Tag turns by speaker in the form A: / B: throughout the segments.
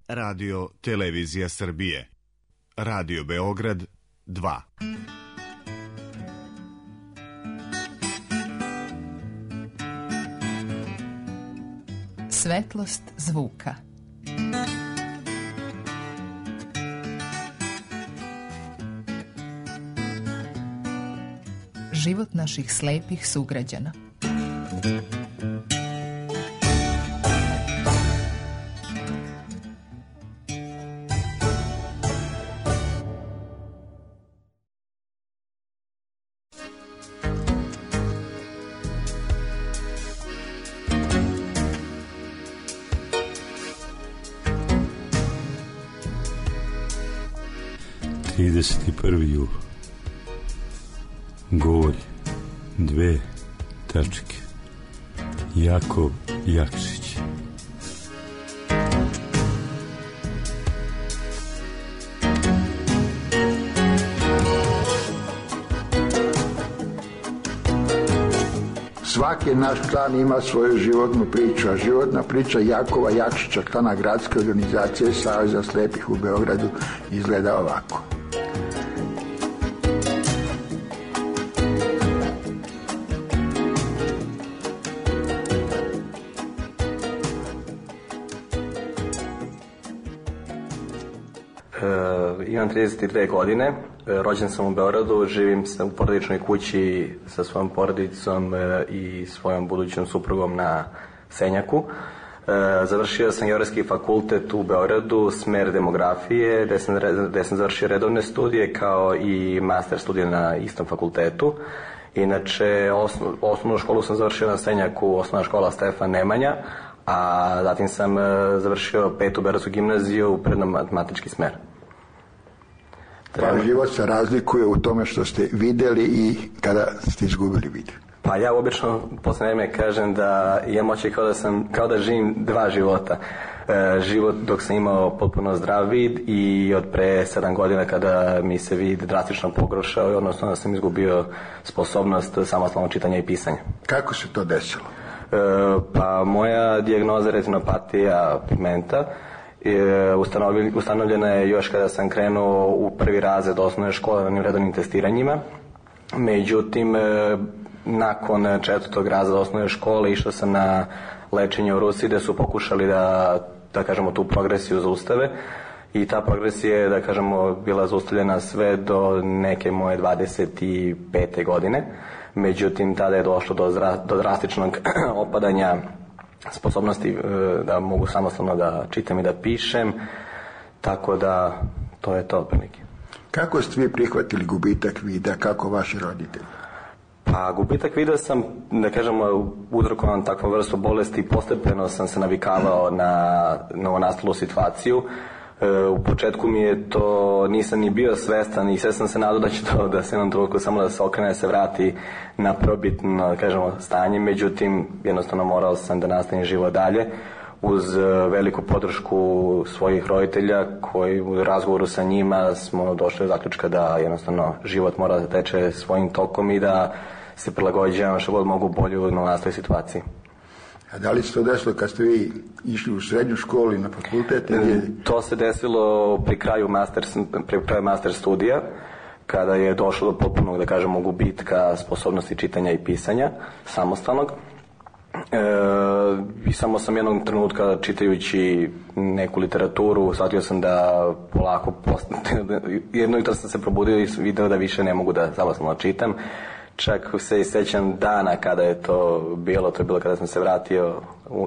A: Radio Televizija Srbije. Radio Beograd 2.
B: Svetlost zvuka. Život naših slepih sugrađana.
C: Jul. Golj, 2 tačke. Jakov Jakšić.
D: Svaki naš klan ima svoju životnu priču, a životna priča Jakova Jakšića, klana gradske organizacije Saveza slepih u Beogradu, izgleda ovako.
E: Imam 32 godine, rođen sam u Beogradu, živim u porodičnoj kući sa svojom porodicom i svojom budućom suprugom na Senjaku. Završio sam Geografski fakultet u Beogradu, smer demografije, gde sam završio redovne studije kao i master studije na istom fakultetu. Inače, osnovnu školu sam završio na Senjaku, osnovna škola Stefan Nemanja, a zatim sam završio 5. Beogradsku gimnaziju, predno-matematički smer.
D: Pa život se razlikuje u tome što ste videli i kada ste izgubili vid.
E: Pa ja obično posle vreme kažem da imam oči kao da živim 2 života. Život dok sam imao potpuno zdrav vid i od pre 7 godina kada mi se vid drastično pogoršao i odnosno da sam izgubio sposobnost samostalnog čitanja i pisanja.
D: Kako se to desilo?
E: Pa moja dijagnoza je retinopatija pigmenta. Ustanovljena je još kada sam krenuo u 1. razred osnovne škole na redovnim testiranjima. Međutim, nakon 4. razreda osnovne škole išao sam na lečenje u Rusiji gde su pokušali da kažemo tu progresiju zaustave i ta progresija je da kažemo bila zaustavljena sve do neke moje 25. godine. Međutim, tada je došlo do drastičnog opadanja sposobnosti da mogu samostalno da čitam i da pišem, tako da to je to otprilike.
D: Kako ste vi prihvatili gubitak vida, kako vaši roditelji?
E: Pa gubitak vida sam, da kažemo, uzrokovan takvom vrstu bolesti, postepeno sam se navikavao na novonastalu situaciju. U početku mi je to, nisam ni bio svestan i sve sam se nadao da će to da se jednom trenutku samo da se okrene, da se vrati na prvobitno, da kažemo, stanje, međutim jednostavno morao sam da nastavim život dalje uz veliku podršku svojih roditelja koji u razgovoru sa njima smo došli do zaključka da jednostavno život mora da teče svojim tokom i da se prilagođavamo što god mogu bolje u novonastaloj situaciji.
D: A da li se to desilo kad ste vi išli u srednju školu i na fakultet?
E: To se desilo pri kraju master studija, kada je došlo do potpunog, da kažemo, gubitka sposobnosti čitanja i pisanja samostalnog. I samo sam jednog trenutka, čitajući neku literaturu, shvatio sam da polako jedno jutro sam se probudio i video da više ne mogu da samostalno čitam. Čak se i sećam dana kada je to bilo kada sam se vratio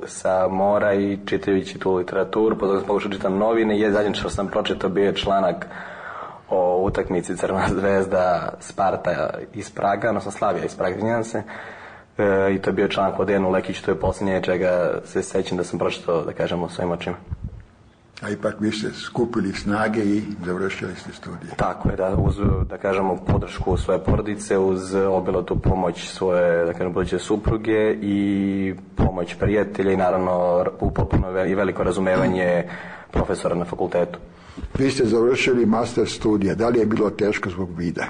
E: sa mora i čitajući tu literaturu, potom sam pokušao čitam novine i zadnje što sam pročitao bio je članak o utakmici Crvena zvezda Sparta iz Praga, odnosno Slavija iz Praga, izvinjavam se, i to je bio članak o Dejanu Lekiću, to je posljednje čega se sećam da sam pročitao, da kažemo, svojim očima.
D: A ipak vi ste skupili snage i završili ste studije.
E: Tako je, uz, da kažemo, podršku svoje porodice, uz obilatu pomoć svoje, da kažemo, buduće supruge i pomoć prijatelja i naravno potpuno i veliko razumevanje profesora na fakultetu.
D: Vi ste završili master studija, da li je bilo teško zbog vida?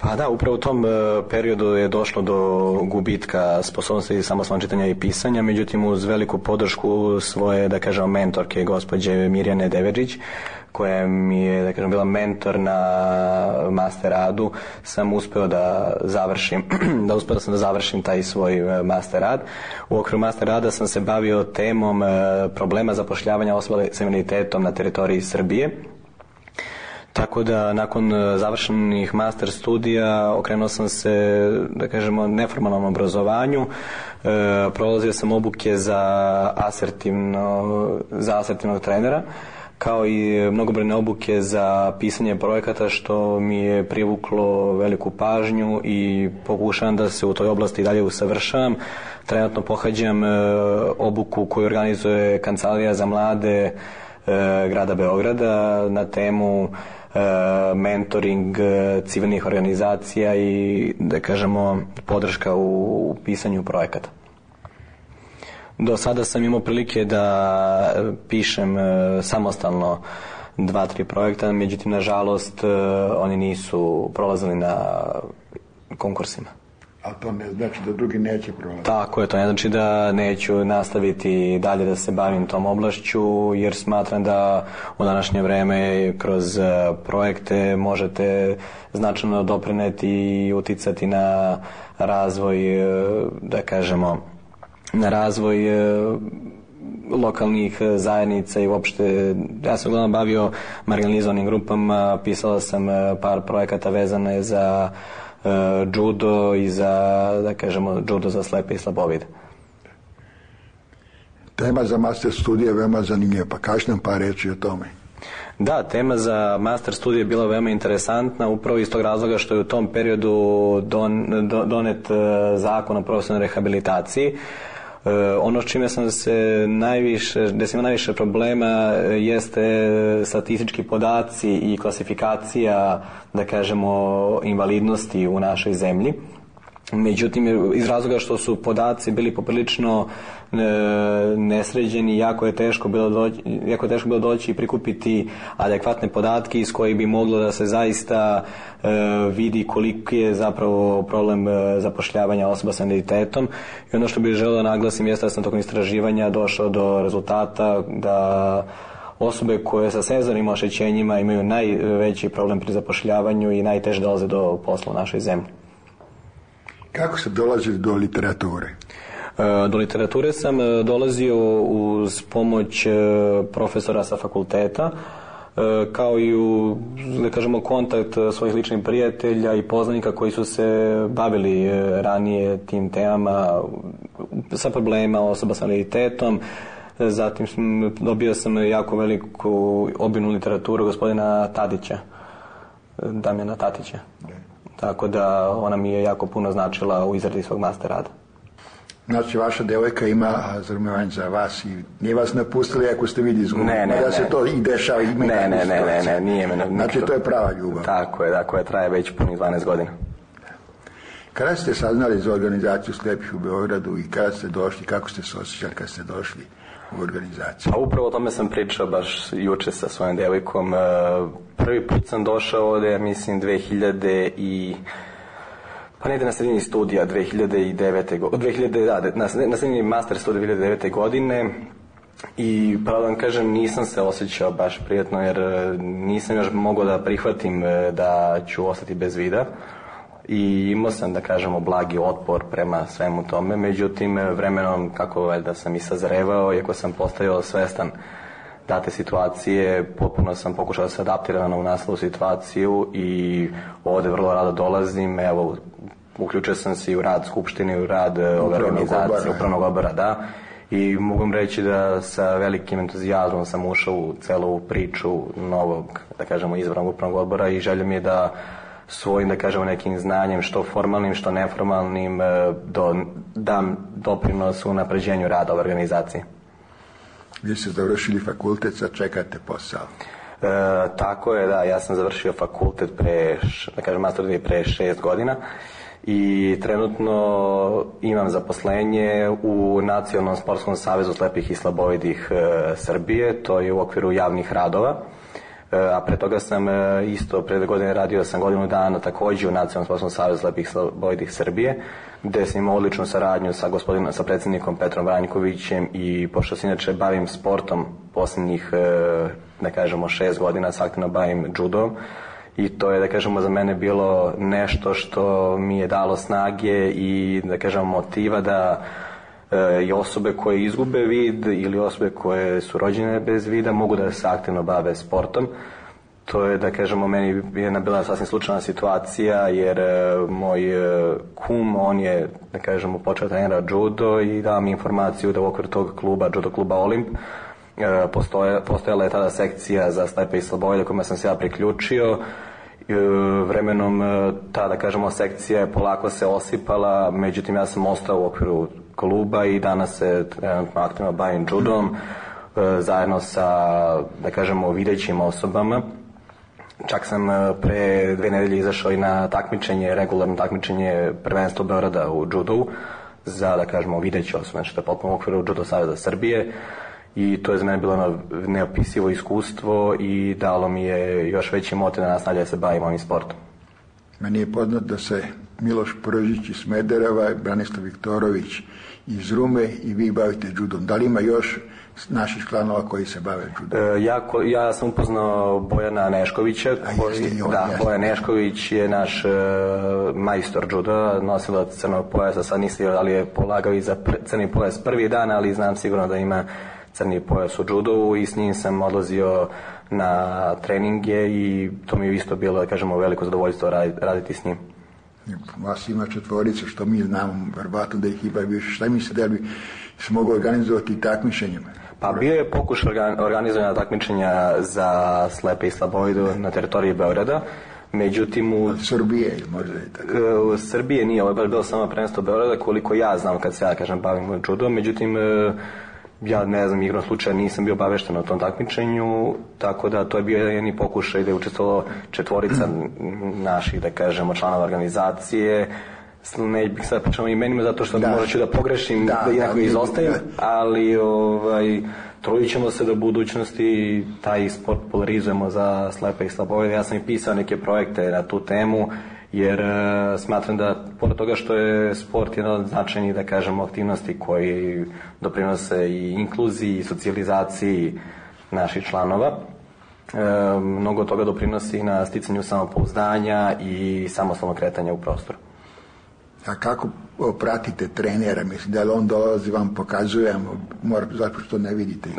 E: Pa da, upravo u tom periodu je došlo do gubitka sposobnosti samostalnog čitanja i pisanja, međutim uz veliku podršku svoje, da kažemo, mentorke, gospođe Mirjane Devedžić, koja mi je, da kažem, bila mentor na master radu, sam uspeo da završim taj svoj master rad. U okviru master rada sam se bavio temom problema zapošljavanja osoba sa invaliditetom na teritoriji Srbije. Tako da nakon završenih master studija okrenuo sam se, da kažemo, neformalnom obrazovanju. Prolazio sam obuke za asertivnog trenera, kao i mnogobrojne obuke za pisanje projekata, što mi je privuklo veliku pažnju i pokušavam da se u toj oblasti dalje usavršavam. Trenutno pohađam obuku koju organizuje Kancelarija za mlade grada Beograda na temu mentoring civilnih organizacija i, da kažemo, podrška u pisanju projekata. Do sada sam imao prilike da pišem samostalno 2-3 projekta, međutim, nažalost, oni nisu prolazili na konkursima.
D: A to ne znači da drugi neće prolaziti?
E: Tako je, to ne znači da neću nastaviti dalje da se bavim tom oblašću, jer smatram da u današnje vreme kroz projekte možete značajno doprineti i uticati na razvoj, da kažemo, na razvoj lokalnih zajednica i uopšte, ja sam uglavnom bavio marginalizovanim grupama, pisala sam par projekata vezane za judo i za, da kažemo, judo za slepe i slabovide.
D: Tema za master studije je veoma zanimljiva, pa kaži nam par reči o tome.
E: Da, tema za master studije je bila veoma interesantna, upravo iz tog razloga što je u tom periodu donet zakon o profesionalnoj rehabilitaciji. Ono s čime sam se gde sam imao najviše problema jeste statistički podaci i klasifikacija, da kažemo, invalidnosti u našoj zemlji. Međutim, iz razloga što su podaci bili poprilično nesređeni, jako je teško bilo doći i prikupiti adekvatne podatke iz kojih bi moglo da se zaista vidi koliki je zapravo problem zapošljavanja osoba sa invaliditetom. I ono što bih želeo da naglasim jeste da sam tokom istraživanja došao do rezultata da osobe koje sa senzornim oštećenjima imaju najveći problem pri zapošljavanju i najteže dolaze do posla u našoj zemlji.
D: Kako se dolazi do literature?
E: Do literature sam dolazio uz pomoć profesora sa fakulteta, kao i u, da kažemo, kontakt svojih ličnih prijatelja i poznanika koji su se bavili ranije tim temama sa problema osoba sa invaliditetom. Zatim dobio sam jako veliku obimnu literaturu gospodina Tadića, Damjana Tatića. Tako da ona mi je jako puno značila u izradi svog master rada.
D: Znači, vaša devojka ima razumevanje za vas i nije vas napustili ako ste vidi izgubili. Ne. Se to i dešava.
E: Ne, nije me.
D: Znači, to je prava ljubav.
E: Tako je, traje već punih 12 godina.
D: Kada ste saznali za organizaciju slepih u Beogradu i kada ste došli, kako ste se osjećali kada ste došli u organizaciju?
E: Pa upravo o tome sam pričao baš juče sa svojom devojkom. Prvi put sam došao ovde, mislim, negde na sredini studija 2009. godine, na sredini master studija 2009. godine i pravo da vam kažem, nisam se osjećao baš prijatno jer nisam još mogao da prihvatim da ću ostati bez vida i imao sam, da kažemo, blagi otpor prema svemu tome, međutim vremenom, kako valjda sam i sazrevao, iako sam postajao svestan date situacije, potpuno sam pokušao da se adaptiram u nastalu situaciju i ovde vrlo rado dolazim. Evo, uključio sam se i u rad Skupštine, u rad ove organizacije, upravnog odbora, da. I mogu vam reći da sa velikim entuzijazmom sam ušao u celu ovu priču novog, da kažemo, izabranog upravnog odbora i želja mi je da svojim, da kažemo, nekim znanjem, što formalnim, što neformalnim, dam doprinos u napređenju rada ove organizacije.
D: Vi ste završili fakultet, sad čekate posao.
E: Tako je, da, ja sam završio fakultet master studije pre 6 godina i trenutno imam zaposlenje u Nacionalnom sportskom savezu slepih i slabovidih Srbije, to je u okviru javnih radova. a pre toga sam isto pre 2 godine radio sam godinu dana takođe u Nacionalnom sportskom savezu slepih i slabovidih Srbije, gde sam imao odličnu saradnju sa predsjednikom Petrom Vranjkovićem i pošto se inače bavim sportom poslednjih, da kažemo, 6 godina se aktivno bavim judom i to je, da kažemo, za mene bilo nešto što mi je dalo snage i, da kažemo, motiva da i osobe koje izgube vid ili osobe koje su rođene bez vida mogu da se aktivno bave sportom. To je, da kažemo, meni je bila sasvim slučajna situacija jer moj kum, on je, da kažemo, počeo trenira judo i dao mi informaciju da u okviru tog kluba, judo kluba Olimp, postojala je tada sekcija za slepe i slabovide kojima sam se ja priključio. Vremenom ta, da kažemo, sekcija je polako se osipala, međutim ja sam ostao u okviru kluba i danas se trenutno aktivno bavim judom zajedno sa, da kažemo, videćim osobama. Čak sam pre 2 nedelje izašao i na takmičenje, regularno takmičenje prvenstva Beograda u judu za, da kažemo, videće osobe, znači to je potpuno u okviru Judo saveza Srbije i to je za mene bilo neopisivo iskustvo i dalo mi je još veći motiv da nastavlja se bavim ovim sportom.
D: Meni je poznat da se Miloš Pržić iz Smedereva, Branislav Viktorović iz Rume i vi bavite judom. Da li ima još naših članova koji se bave judom?
E: Ja sam upoznao Bojana Neškovića. Bojan Nešković je naš majstor juda, nosilac crnog pojasa. Sad nisam da li je polagao i za crni pojas prvi dan, ali znam sigurno da ima crni pojas u judu i s njim sam odlazio na treninge i to mi je isto bilo, da kažemo, veliko zadovoljstvo raditi s njim.
D: Vas ima 4, što mi znamo, verovatno da ih ima više. Šta mislite da bi se moglo organizovati takmičenjima?
E: Pa bio je pokušaj organizovanja takmičenja za slepe i slabovidu na teritoriji Beograda, međutim u
D: Srbije možda je tako.
E: U Srbije nije, ovo je bilo samo prvenstvo Beograda, koliko ja znam kad se ja, kažem, bavim judom, međutim ja ne znam, igrom slučaja nisam bio obavešten o tom takmičenju, tako da to je bio jedni pokušaj da je učestvovalo 4 naših, da kažemo, članova organizacije. Ne bih sad pričao imenima zato što možda ću da pogrešim, da jednako izostajem, ali trudit ćemo se da u budućnosti taj sport polarizujemo za slepe i slabovide. Ja sam i pisao neke projekte na tu temu, jer smatram da, pored toga što je sport jedna od značajnih, da kažemo, aktivnosti koji doprinose i inkluziji i socijalizaciji naših članova, mnogo toga doprinosi na sticanju samopouzdanja i samostalnog kretanja u prostoru.
D: A kako pratite trenera? Mislim, da li on dolazi vam pokazuje, zato što ne vidite?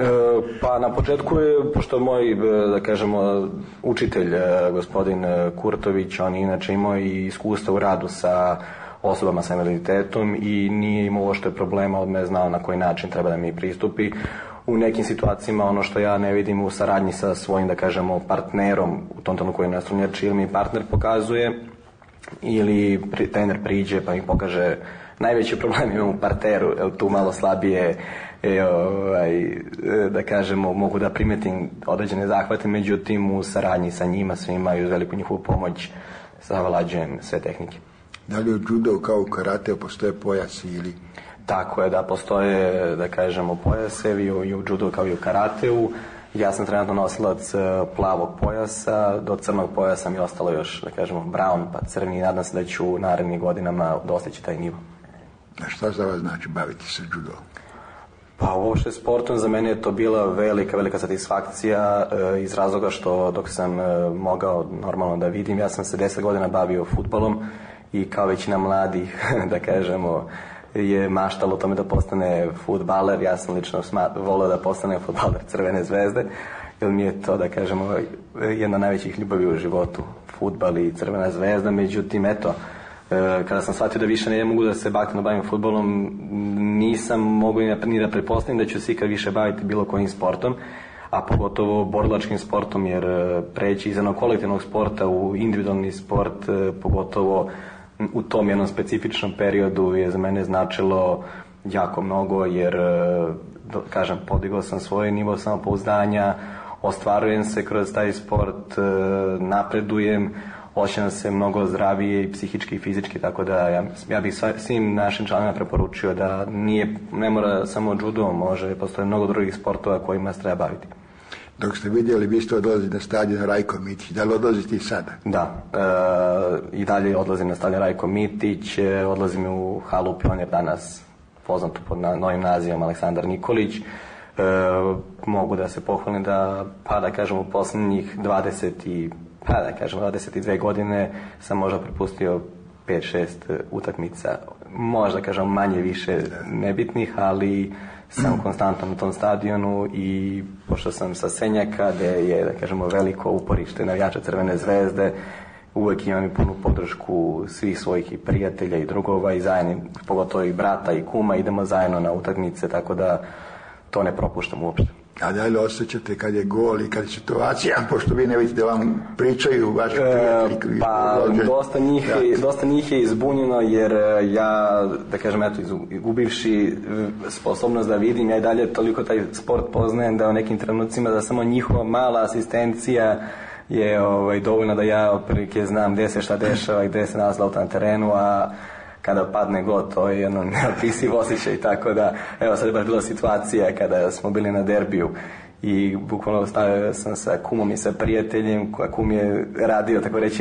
E: Pa na početku je, pošto moj, da kažemo, učitelj, gospodin Kurtović, on inače imao i iskustva u radu sa osobama sa invaliditetom i nije imao uopšte problema, od me znao na koji način treba da mi pristupi. U nekim situacijama ono što ja ne vidim u saradnji sa svojim, da kažemo, partnerom, u tom trenutku koji je nastrunjač ili mi partner pokazuje, ili trener priđe pa mi pokaže, najveći problem imam u parteru, tu malo slabije, da kažemo, mogu da primetim određene zahvate, međutim u saradnji sa njima svima i uz veliku njihovu pomoć savlađujem sve tehnike.
D: Da li u judo kao u karateu postoje pojasi ili?
E: Tako je, da, postoje, da kažemo, pojasevi i u judo kao i u karateu. Ja sam trenutno nosilac plavog pojasa, do crnog pojasa mi je ostalo još, da kažemo, brown pa crni i nadam se da ću u narednim godinama dostići taj nivo.
D: A šta za vas znači baviti se judom?
E: Pa uopšte sportom za mene je to bila velika satisfakcija iz razloga što dok sam mogao normalno da vidim, ja sam se 10 godina bavio fudbalom i kao većina mladih, da kažemo, je maštalo o tome da postane fudbaler. Ja sam lično volio da postane fudbaler Crvene zvezde, jer mi je to, da kažemo, jedna od najvećih ljubavi u životu, fudbal i Crvena zvezda. Međutim, eto, kada sam shvatio da više ne mogu da se aktivno bavim fudbalom, nisam mogu ni da pretpostavim da ću se ikad više baviti bilo kojim sportom, a pogotovo borilačkim sportom, jer preći iz jednog kolektivnog sporta u individualni sport, pogotovo u tom jednom specifičnom periodu, je za mene značilo jako mnogo, jer, kažem, podigao sam svoj nivo samopouzdanja, ostvarujem se kroz taj sport, napredujem, osjećam se mnogo zdravije i psihički i fizički, tako da ja bih svim našim članovima preporučio da ne mora samo judo, može, postoje mnogo drugih sportova kojima se treba baviti.
D: Dok ste vidjeli, vi ste odlazili na stadion Rajko Mitić. Da li odlazite i sada?
E: Da, i dalje odlazim na stadion Rajko Mitić, odlazim u halu Pionir, danas poznato pod novim nazivom Aleksandar Nikolić. Mogu da se pohvalim da, u posljednjih 22 godine sam možda propustio 5-6 utakmica, možda manje više nebitnih, ali sam konstantno na tom stadionu i pošto sam sa Senjaka, gde je, veliko uporište navijača Crvene zvezde, uvek imam i punu podršku svih svojih i prijatelja i drugova i zajedno, pogotovo i brata i kuma, idemo zajedno na utakmice, tako da to ne propuštam uopšte.
D: A da li osjećate kad je gol i kad je situacija, pošto vi ne vidite da vam pričaju vaši prijatelji?
E: Dosta njih je izbunjeno, jer ja, izgubivši sposobnost da vidim, ja i dalje toliko taj sport poznajem da u nekim trenucima da samo njihova mala asistencija je dovoljno da ja otprilike znam gde se šta dešava i gde se nalazi lopta na terenu, a kada padne gol, to je jedno neopisiv osjećaj, tako da, evo sad je baš bila situacija kada smo bili na derbiju i bukvalno stavio sam sa kumom i sa prijateljem, kum je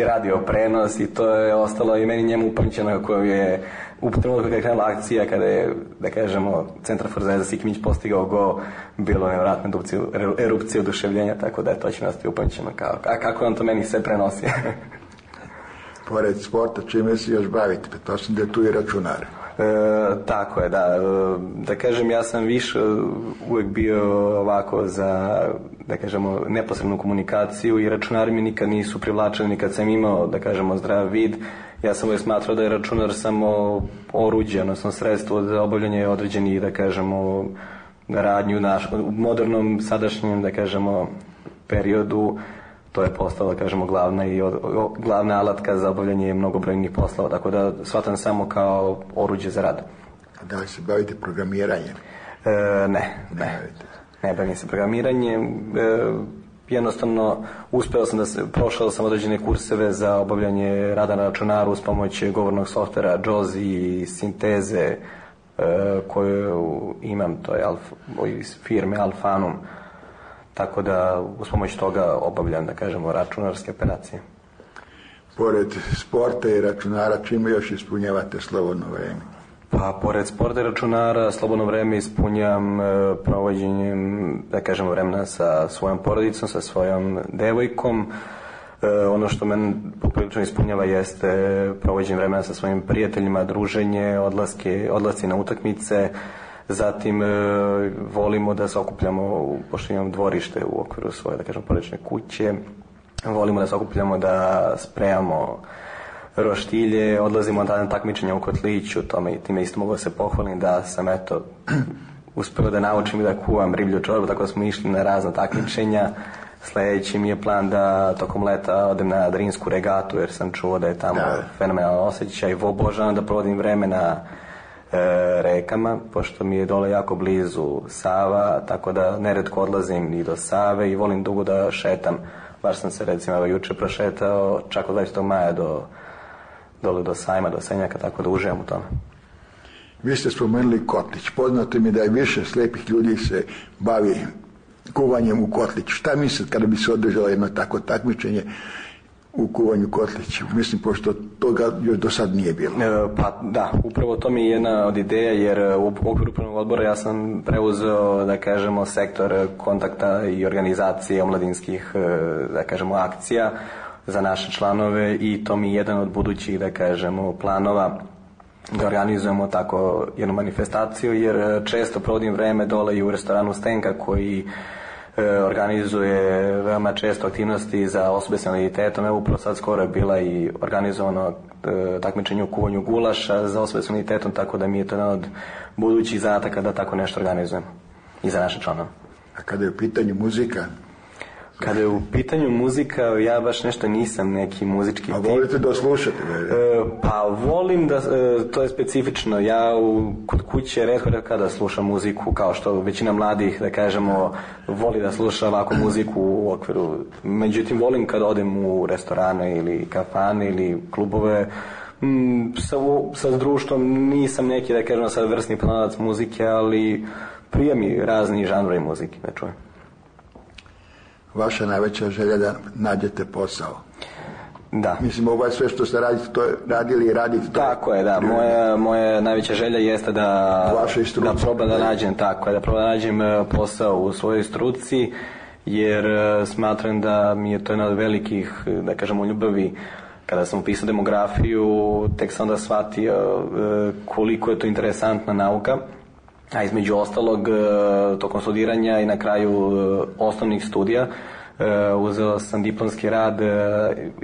E: radio prenos i to je ostalo i meni njemu upamćeno, koju je u trenutku kada je krenula akcija, kada je, centrafor Zvezda Sikimić postigao gol, bilo nevjerojatno erupcija oduševljenja, tako da je to će nas upamćeno, kako on to meni sve prenosi.
D: Pored sporta, čime se još bavite? To sam da je tu i računar.
E: Tako je, da. Ja sam više uvek bio ovako za, neposrednu komunikaciju i računari mi nikad nisu privlačeni, nikad sam imao, zdrav vid. Ja sam uvek smatrao da je računar samo oruđe, odnosno sredstvo za obavljanje određenih, radnju u modernom, sadašnjem, periodu. To je postala, glavna alatka za obavljanje mnogobrojnih poslova, tako da shvatam samo kao oruđe za rad.
D: A da li se bavite programiranjem?
E: Ne bavim se programiranjem. Jednostavno, prošao sam određene kurseve za obavljanje rada na računaru uz pomoć govornog softvera JAWS i sinteze koju imam, to je iz firme Alfanum. Tako da uz pomoć toga obavljam, računarske operacije.
D: Pored sporta i računara, čime još ispunjavate slobodno vreme?
E: Pa, pored sporta i računara, slobodno vreme ispunjam provođenjem, vremena sa svojom porodicom, sa svojom devojkom. Ono što mene poprilično ispunjava jeste provođenje vremena sa svojim prijateljima, druženje, odlasci na utakmice. Zatim volimo da se okupljamo, pošto imam dvorište u okviru svoje, porodične kuće, volimo da se okupljamo, da spremamo roštilje, odlazimo na takmičenja u Kotliću, time isto mogu da se pohvalim da sam uspeo da naučim da kuvam riblju čorbu, tako da smo išli na razna takmičenja. Sledeći mi je plan da tokom leta odem na Drinsku regatu, jer sam čuo da je tamo fenomenalan osjećaj. Obožavam da provodim vreme na rekama, pošto mi je dole jako blizu Sava, tako da neretko odlazim i do Save i volim dugo da šetam. Baš sam se recimo juče prošetao čak od 20. maja dole do Sajma, do Senjaka, tako da uživam u tome.
D: Vi ste spomenuli Kotlić. Poznato mi da je više slepih ljudi se bavi kuvanjem u Kotliću. Šta mislite kada bi se održalo jedno tako takmičenje u kuvanju Kotliću? Mislim, pošto toga još do sad nije bilo.
E: Pa da, upravo to mi je jedna od ideja, jer u okviru upravnog odbora ja sam preuzeo, sektor kontakta i organizacije omladinskih, akcija za naše članove i to mi je jedan od budućih, planova da organizujemo tako jednu manifestaciju, jer često provodim vreme dole i u restoranu Stenka koji organizuje veoma često aktivnosti za osobe s invaliditetom. Evo upravo sad skoro je bila i organizovano takmičenje u kuvanju gulaša za osobe s invaliditetom, tako da mi je to jedan od budućih zadataka da tako nešto organizujemo i za naše članove.
D: A kada je u pitanju muzika?
E: Kada je u pitanju muzika, ja baš nešto nisam neki muzički tip.
D: A volite da slušate?
E: Pa volim da, to je specifično. Ja kod kuće retko kada slušam muziku, kao što većina mladih, voli da sluša ovako muziku u okviru. Međutim, volim kada odem u restorane ili kafane ili klubove. Sa društvom nisam neki, sad vrsni pronalac muzike, ali prija mi razni žanrovi muzike, da čujem.
D: vaša najveća želja da nađete posao.
E: Da.
D: Mislim, ovo je sve što ste radili i radite.
E: Tako je, da. Moja najveća želja jeste da probam da nađem, posao u svojoj struci, jer smatram da mi je to jedna od velikih, da kažemo, ljubavi. Kada sam upisao demografiju, tek sam onda shvatio koliko je to interesantna nauka, a između ostalog tokom studiranja i na kraju osnovnih studija uzeo sam diplomski rad,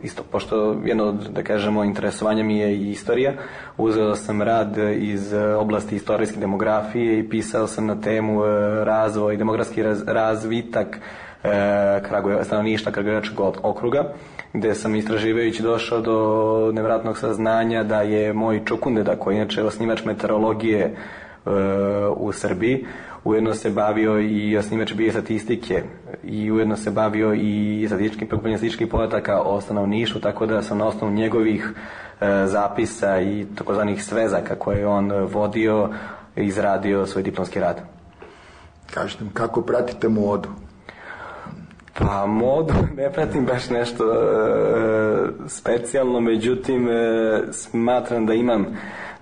E: isto pošto jedno od, da kažemo, interesovanja mi je i istorija. Uzeo sam rad iz oblasti istorijske demografije i pisao sam na temu razvoj, demografski razvitak stanovništva Kragujevačkog okruga, gde sam istraživajući došao do nevjerojatnog saznanja da je moj čukundeda, koji je inače osnivač meteorologije u Srbiji, ujedno se bavio i osnivač biostatistike i ujedno se bavio i statističkih podataka o stanovništvu, tako da sam na osnovu njegovih zapisa i takozvanih svezaka koje je on vodio izradio svoj diplomski rad.
D: Kažete mi, kako pratite modu?
E: Pa modu ne pratim baš nešto specijalno, međutim smatram da imam,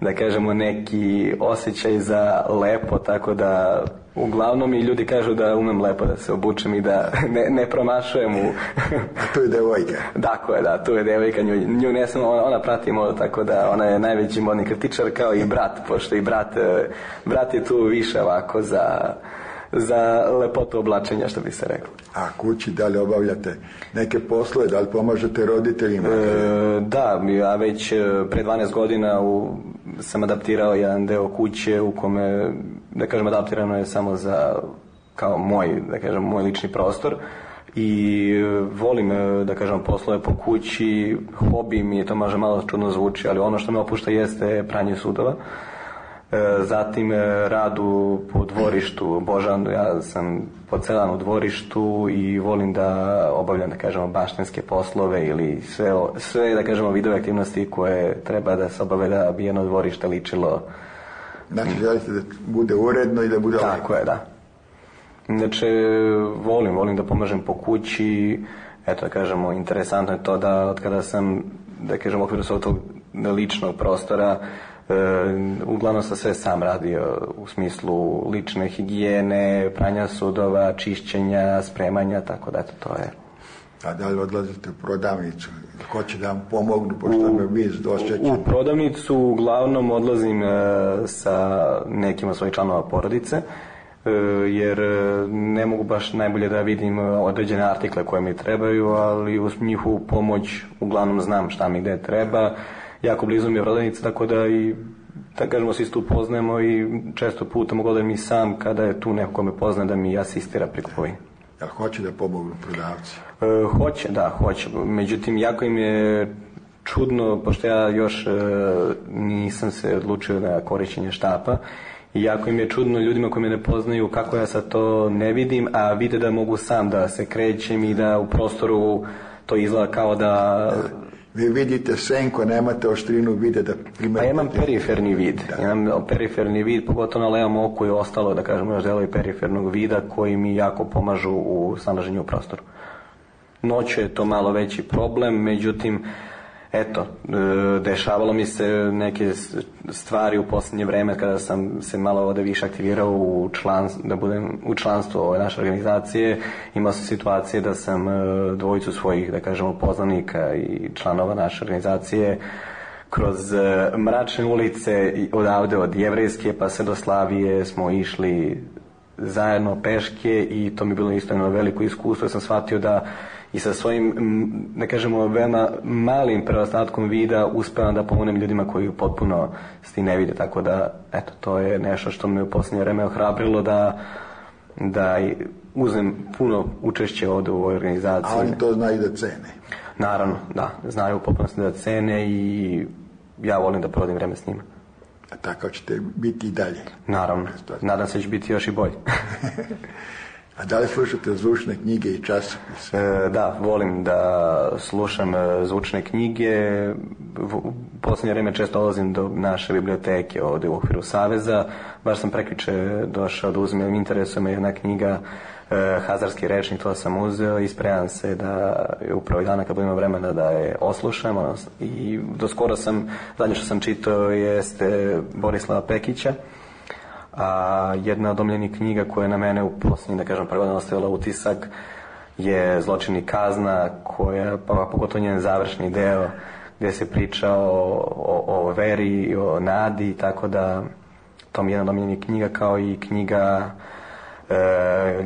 E: da kažemo, neki osjećaj za lepo, tako da uglavnom i ljudi kažu da umem lepo da se obučem i da ne promašujem u...
D: A to je devojka?
E: Tako je, da, tu je devojka, nju ne sam, ona prati modu, tako da ona je najveći modni kritičar, kao i brat, pošto i brat je tu više ovako za lepotu oblačenja, što bi se reklo.
D: A kući, da li obavljate neke poslove, da li pomažete roditeljima?
E: Da, ja već pre 12 godina sam adaptirao jedan deo kuće u kome, da kažem, adaptirano je samo za, kao moj, da kažem, moj lični prostor i volim, da kažem, poslove po kući, hobi mi je, to može malo čudno zvuči, ali ono što me opušta jeste pranje sudova. Zatim rad po dvorištu, ja sam pocelan u dvorištu i volim da obavljam, da kažemo, baštenske poslove ili sve, da kažemo, vidove aktivnosti koje treba da se obave da bi jedno dvorište ličilo.
D: Znači, želite da bude uredno i da bude...
E: Tako je, da. Znači, volim da pomažem po kući. Eto, da kažemo, interesantno je to da od kada sam, da kažemo, u okviru svog tog ličnog prostora, uglavnom sam sve sam radio u smislu lične higijene, pranja sudova, čišćenja, spremanja, tako da to je.
D: A da li odlazite u prodavnicu? Ko će da vam pomognu, pošto me vi došćećete?
E: U prodavnicu uglavnom odlazim sa nekim od svojih članova porodice, jer ne mogu baš najbolje da vidim određene artikle koje mi trebaju, ali uz njihovu pomoć uglavnom znam šta mi gde treba. Jako blizu mi je prodavnica, tako da i, da kažemo, svi tu poznajemo i često puta mogu da mi sam, kada je tu neko ko me poznaje, da mi asistira pri kupovini.
D: Jel hoće da pomognu prodavci?
E: Hoće. Međutim, jako im je čudno, pošto ja još nisam se odlučio na korišćenje štapa, i jako im je čudno ljudima koji me ne poznaju kako ja sad to ne vidim, a vide da mogu sam da se krećem i da u prostoru to izgleda kao da...
D: Vi vidite senko, nemate oštrinu vide da primetite...
E: A imam periferni vid. Imam periferni vid, pogotovo na levom oku i ostalo, da kažemo, još delovi perifernog vida koji mi jako pomažu u snalaženju u prostoru. Noću je to malo veći problem, međutim, eto, dešavalo mi se neke stvari u posljednje vreme kada sam se malo ovde više aktivirao da budem u članstvu ove naše organizacije. Imao sam situacije da sam dvojicu svojih, da kažemo, poznanika i članova naše organizacije kroz mračne ulice odavde od Jevrejske pa sve do Slavije smo išli zajedno peške i to mi je bilo isto jedno veliko iskustvo. Ja sam shvatio da i sa svojim, da kažemo, veoma malim preostatkom vida uspevam da pomognem ljudima koji potpuno ne vide, tako da, eto, to je nešto što me u posljednje vreme ohrabrilo da uzmem puno učešće ovde u ovoj organizaciji.
D: A oni to znaju da cene?
E: Naravno, da, znaju u potpunosti da cene i ja volim da provodim vreme s njima.
D: A tako ćete biti i dalje?
E: Naravno, nadam se da će biti još i bolje.
D: A da li slušate zvučne knjige i časopise?
E: Da, volim da slušam zvučne knjige. U posljednje vreme često dolazim do naše biblioteke ovde u okviru Saveza. Baš sam prekjuče došao da uzmem, interesuje me jedna knjiga hazarski rečnik, to sam uzeo i spremam se da upravo i dana kad budemo vremena da je oslušam. I do skoro zadnje što sam čitao jeste Borislava Pekića, a jedna od omiljenih knjiga koja je na mene u posljednjih, da kažem, prvo ostavila utisak je Zločin i kazna, koja, pa pogotovo njen završni deo, gdje se priča o veri i o nadi, tako da to mi je jedna od omiljenih knjiga, kao i knjiga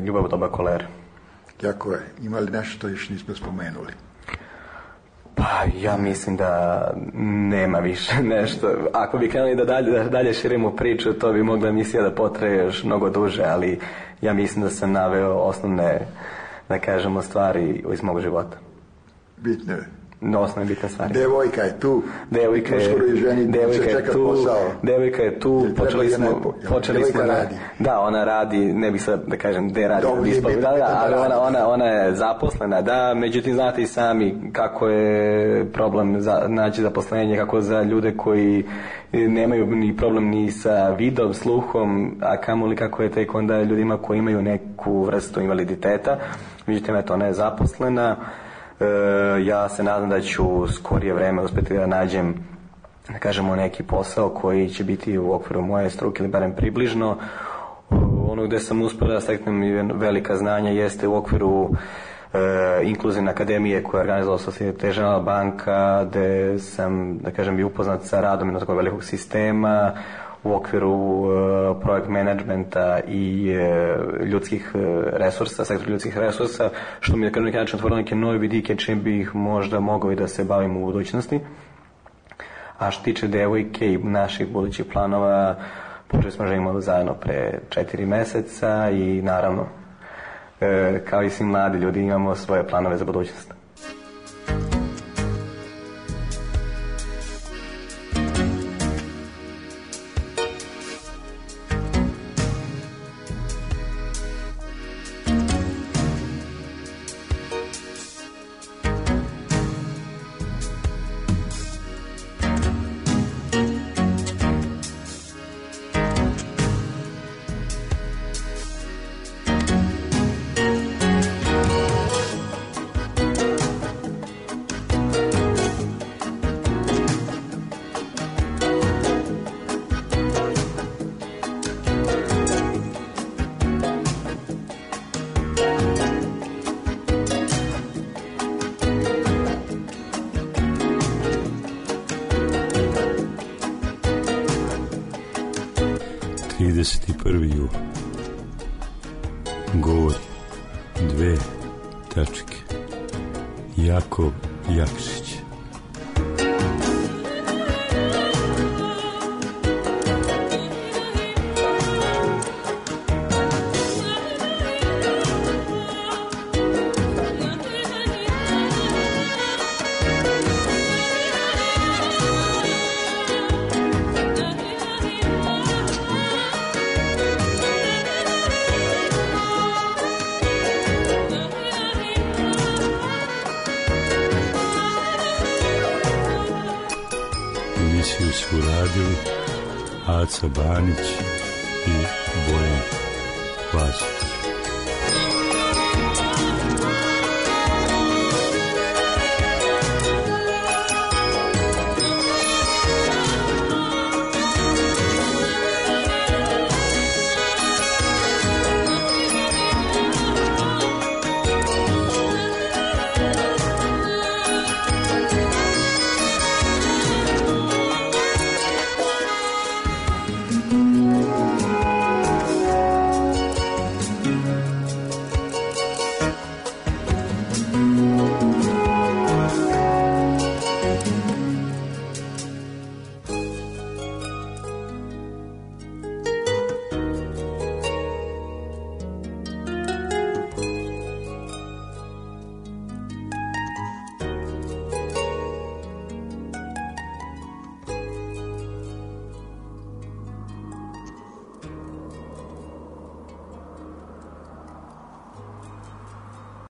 E: Ljubav u doba kolere.
D: Jako je. Ima li nešto što još nismo spomenuli?
E: Pa ja mislim da nema više nešto. Ako bi krenuli da dalje širimo priču, to bi mogla emisija da potraje još mnogo duže, ali ja mislim da sam naveo osnovne, da kažemo, stvari iz mog života.
D: Bitne.
E: Osnovne bitne stvari.
D: Devojka je tu.
E: Devojka je tu. Počeli smo
D: radi.
E: Da, ona radi, ne bih sad da kažem gde radi. Ali ona je zaposlena, da, međutim znate i sami kako je problem naći zaposlenje, kako za ljude koji nemaju ni problem ni sa vidom, sluhom, a kamoli kako je tek onda ljudima koji imaju neku vrstu invaliditeta. Međutim, eto, ona je zaposlena. Ja se nadam da ću u skorije vreme uspjeti da nađem, da kažemo, neki posao koji će biti u okviru moje struke ili barem približno. Ono gdje sam uspio da steknem velika znanja jeste u okviru Inkluzivne akademije koja je organizovala Societe Generale banka, gdje sam, da kažem, i upoznat sa radom jednog takvog velikog sistema u okviru projekt menadžmenta i ljudskih resursa, sektor ljudskih resursa, što mi je na neki način otvorilo neke nove vidike čim bih možda mogao i da se bavim u budućnosti. A što tiče devojke i naših budućih planova, počeli smo živimo zajedno pre 4 meseca i naravno, kao i svi mladi ljudi, imamo svoje planove za budućnost.
C: Jul. Govori. 2 tačke. Jakov Jakšić. Emisiju su radili Aca Banić i Bojan Vasić.